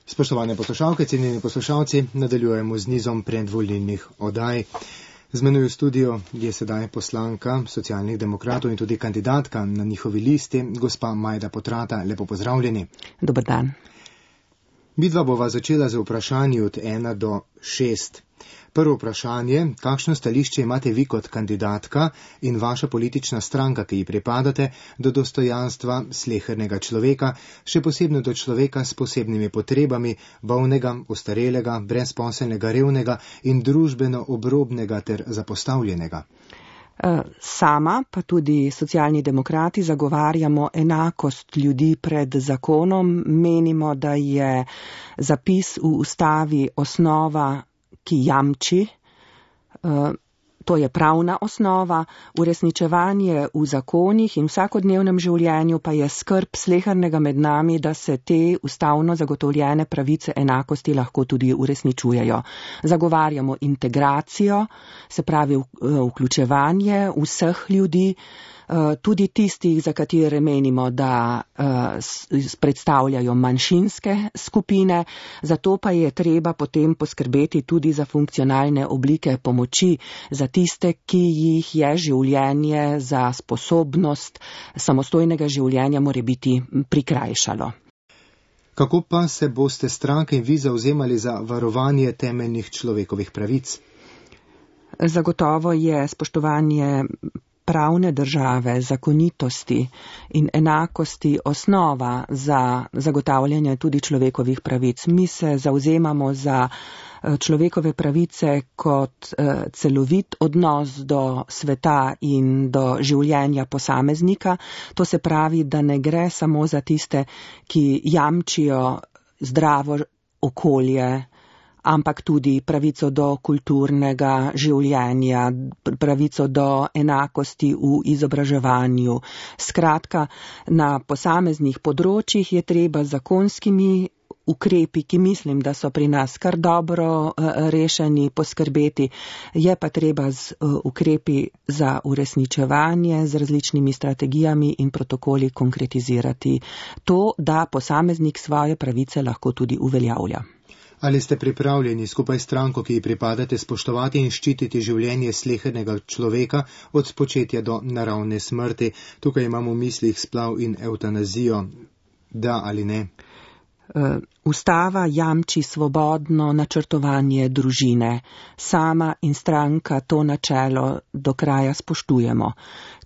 Spoštovane poslušalke, cenjeni poslušalci, nadaljujemo z nizom predvolilnih oddaj. Z menoj v studiu je sedaj poslanka Socialnih demokratov in tudi kandidatka na njihovi listi, gospa Majda Potrata. Lepo pozdravljeni. Dober dan. Midva bova začela z vprašanji od 1 do 6. Prvo vprašanje, kakšno stališče imate vi kot kandidatka in vaša politična stranka, ki ji pripadate, do dostojanstva slehernega človeka, še posebno do človeka s posebnimi potrebami, bolnega, ostarelega, brezposelnega, revnega in družbeno obrobnega ter zapostavljenega? Sama pa tudi Socialni demokrati zagovarjamo enakost ljudi pred zakonom. Menimo, da je zapis v ustavi osnova, ki jamči, to je pravna osnova, uresničevanje v zakonih in vsakodnevnem življenju pa je skrb slehernega med nami, da se te ustavno zagotovljene pravice enakosti lahko tudi uresničujejo. Zagovarjamo integracijo, se pravi vključevanje vseh ljudi, tudi tistih, za katere menimo, da predstavljajo manjšinske skupine, zato pa je treba potem poskrbeti tudi za funkcionalne oblike pomoči za tiste, ki jih je življenje za sposobnost samostojnega življenja morebiti prikrajšalo. Kako pa se boste stranke in vi zavzemali za varovanje temeljnih človekovih pravic? Zagotovo je spoštovanje pravne države, zakonitosti in enakosti osnova za zagotavljanje tudi človekovih pravic. Mi se zavzemamo za človekove pravice kot celovit odnos do sveta in do življenja posameznika. To se pravi, da ne gre samo za tiste, ki jamčijo zdravo okolje, ampak tudi pravico do kulturnega življenja, pravico do enakosti v izobraževanju. Skratka, na posameznih področjih je treba zakonskimi ukrepi, ki mislim, da so pri nas kar dobro rešeni, poskrbeti. Je pa treba z ukrepi za uresničevanje, z različnimi strategijami in protokoli konkretizirati to, da posameznik svoje pravice lahko tudi uveljavlja. Ali ste pripravljeni skupaj s stranko, ki ji pripadate, spoštovati in ščititi življenje slehernega človeka od spočetja do naravne smrti? Tukaj imamo v mislih splav in evtanazijo. Da ali ne? Ustava jamči svobodno načrtovanje družine. Sama in stranka to načelo do kraja spoštujemo.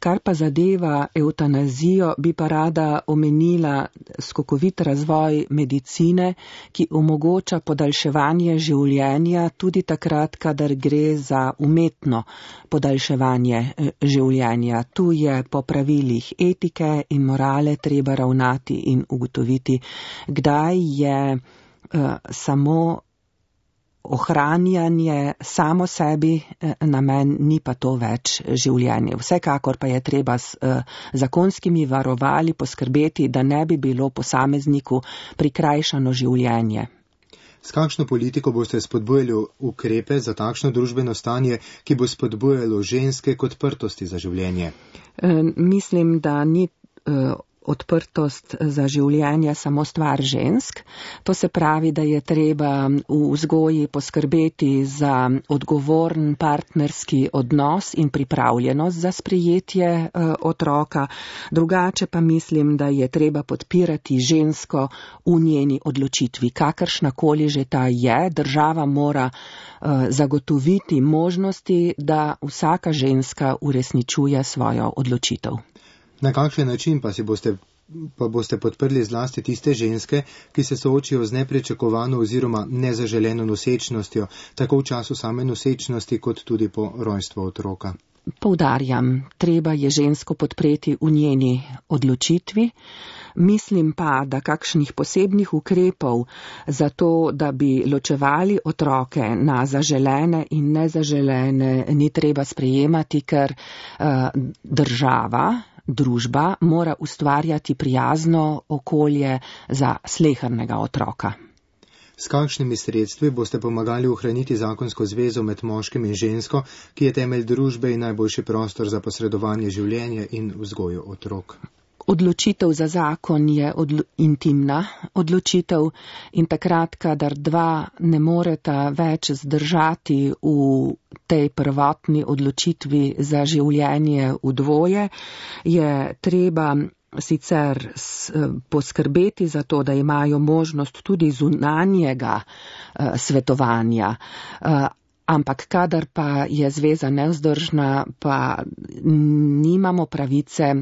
Kar pa zadeva evtanazijo, bi pa rada omenila skokovit razvoj medicine, ki omogoča podaljševanje življenja tudi takrat, kadar gre za umetno podaljševanje življenja. Tu je po pravilih etike in morale treba ravnati in ugotoviti, kdaj je samo ohranjanje samo sebi namen, ni pa to več življenje. Vsekakor pa je treba s zakonskimi varovali poskrbeti, da ne bi bilo posamezniku prikrajšano življenje. S kakšno politiko boste spodbujali ukrepe za takšno družbeno stanje, ki bo spodbujalo ženske k odprtosti za življenje? Mislim, da ni odprtost za življenje samo stvar žensk. To se pravi, da je treba v vzgoji poskrbeti za odgovoren partnerski odnos in pripravljenost za sprejetje otroka. Drugače pa mislim, da je treba podpirati žensko v njeni odločitvi. Kakršnakoli že ta je, država mora zagotoviti možnosti, da vsaka ženska uresničuje svojo odločitev. Na kakšen način pa boste podprli zlasti tiste ženske, ki se soočijo z nepričakovano oziroma nezaželeno nosečnostjo, tako v času same nosečnosti, kot tudi po rojstvu otroka? Poudarjam, treba je žensko podpreti v njeni odločitvi. Mislim pa, da kakšnih posebnih ukrepov za to, da bi ločevali otroke na zaželene in nezaželene, ni treba sprejemati, ker družba mora ustvarjati prijazno okolje za slehernega otroka. S kakšnimi sredstvi boste pomagali ohraniti zakonsko zvezo med moškim in žensko, ki je temelj družbe in najboljši prostor za posredovanje življenja in vzgojo otrok? Odločitev za zakon je intimna odločitev in takrat, kadar dva ne moreta več zdržati v tej prvotni odločitvi za življenje v dvoje, je treba sicer poskrbeti za to, da imajo možnost tudi zunanjega svetovanja, ampak kadar pa je zveza nevzdržna, pa nimamo pravice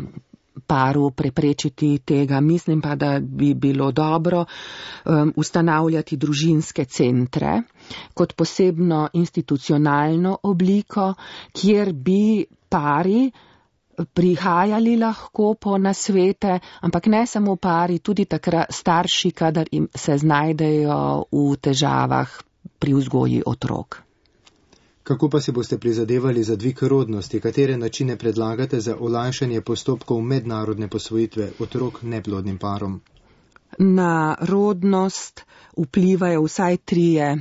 paru preprečiti tega. Mislim pa, da bi bilo dobro ustanavljati družinske centre kot posebno institucionalno obliko, kjer bi pari prihajali lahko po nasvete, ampak ne samo pari, tudi takrat starši, kadar se znajdejo v težavah pri vzgoji otrok. Kako pa si boste prizadevali za dvig rodnosti? Katere načine predlagate za olajšanje postopkov mednarodne posvojitve otrok neplodnim parom? Na rodnost vplivajo vsaj 3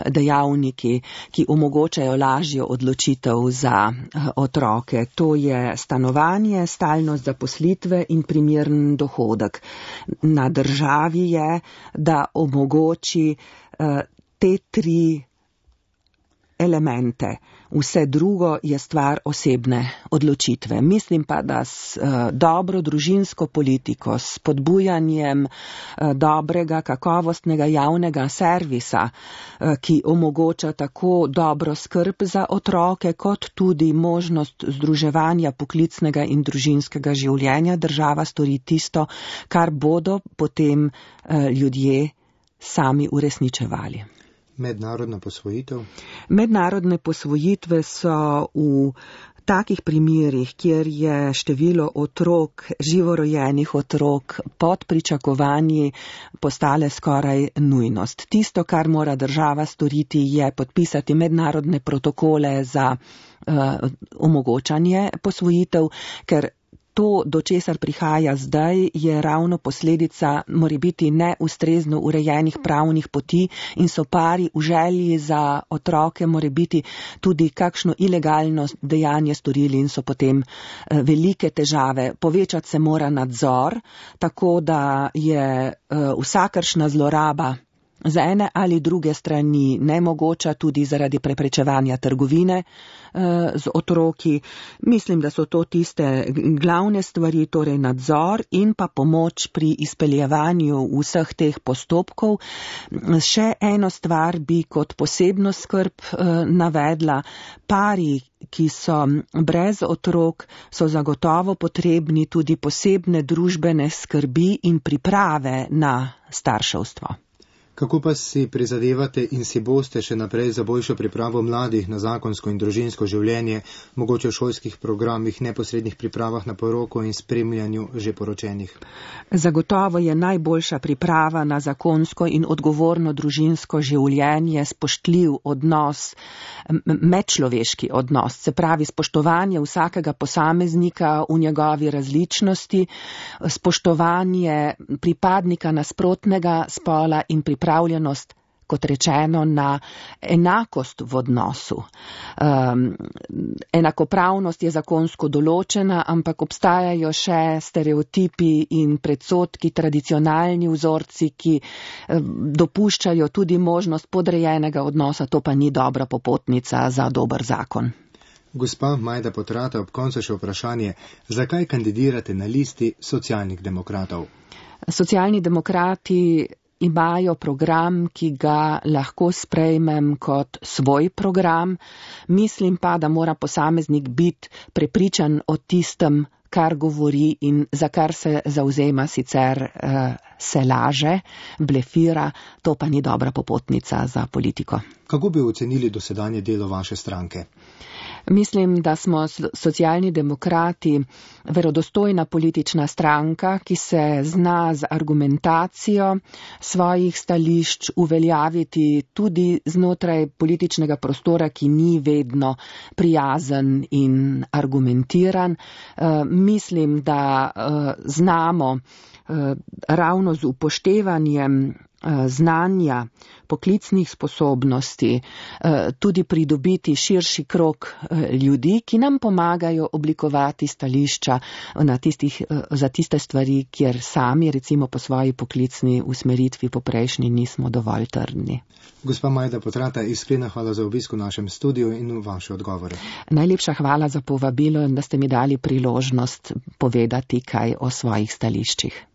dejavniki, ki omogočajo lažjo odločitev za otroke. To je stanovanje, stalnost zaposlitve in primeren dohodek. Na državi je, da omogoči te 3 elemente. Vse drugo je stvar osebne odločitve. Mislim pa, da s dobro družinsko politiko, s spodbujanjem dobrega, kakovostnega javnega servisa, ki omogoča tako dobro skrb za otroke, kot tudi možnost združevanja poklicnega in družinskega življenja, država stori tisto, kar bodo potem ljudje sami uresničevali. Mednarodna posvojitev? Mednarodne posvojitve so v takih primerih, kjer je število otrok, živorojenih otrok pod pričakovanji postale skoraj nujnost. Tisto, kar mora država storiti, je podpisati mednarodne protokole za omogočanje posvojitev, ker to, do česar prihaja zdaj, je ravno posledica morebiti neustrezno urejenih pravnih poti in so pari v želji za otroke morebiti tudi kakšno ilegalno dejanje storili in so potem velike težave. Povečati se mora nadzor, tako da je vsakršna zloraba z ene ali druge strani nemogoča, tudi zaradi preprečevanja trgovine z otroki. Mislim, da so to tiste glavne stvari, torej nadzor in pa pomoč pri izpeljevanju vseh teh postopkov. Še eno stvar bi kot posebno skrb navedla. Pari, ki so brez otrok, so zagotovo potrebni tudi posebne družbene skrbi in priprave na starševstvo. Kako pa si prizadevate in si boste še naprej za boljšo pripravo mladih na zakonsko in družinsko življenje, mogoče v šolskih programih, neposrednih pripravah na poroko in spremljanju že poročenih? Zagotovo je najboljša priprava na zakonsko in odgovorno družinsko življenje spoštljiv odnos, medčloveški odnos, se pravi spoštovanje vsakega posameznika v njegovi različnosti, spoštovanje pripadnika nasprotnega spola in pripravljenost, kot rečeno, na enakost v odnosu. Enakopravnost je zakonsko določena, ampak obstajajo še stereotipi in predsodki, tradicionalni vzorci, ki dopuščajo tudi možnost podrejenega odnosa, to pa ni dobra popotnica za dober zakon. Gospa Majda Potrata, ob koncu še vprašanje, zakaj kandidirate na listi Socialnih demokratov? Socialni demokrati imajo program, ki ga lahko sprejmem kot svoj program. Mislim pa, da mora posameznik biti prepričan o tistem, kar govori in za kar se zavzema, sicer se laže, blefira, to pa ni dobra popotnica za politiko. Kako bi ocenili dosedanje delo vaše stranke? Mislim, da smo Socialni demokrati verodostojna politična stranka, ki se zna z argumentacijo svojih stališč uveljaviti tudi znotraj političnega prostora, ki ni vedno prijazen in argumentiran. Mislim, da znamo ravno z upoštevanjem znanja, poklicnih sposobnosti, tudi pridobiti širši krog ljudi, ki nam pomagajo oblikovati stališča za tiste stvari, kjer sami recimo po svoji poklicni usmeritvi poprejšnji nismo dovolj trdni. Gospa Majda Potrata, iskrena hvala za obisk v našem studiu in vaše odgovore. Najlepša hvala za povabilo in da ste mi dali priložnost povedati kaj o svojih stališčih.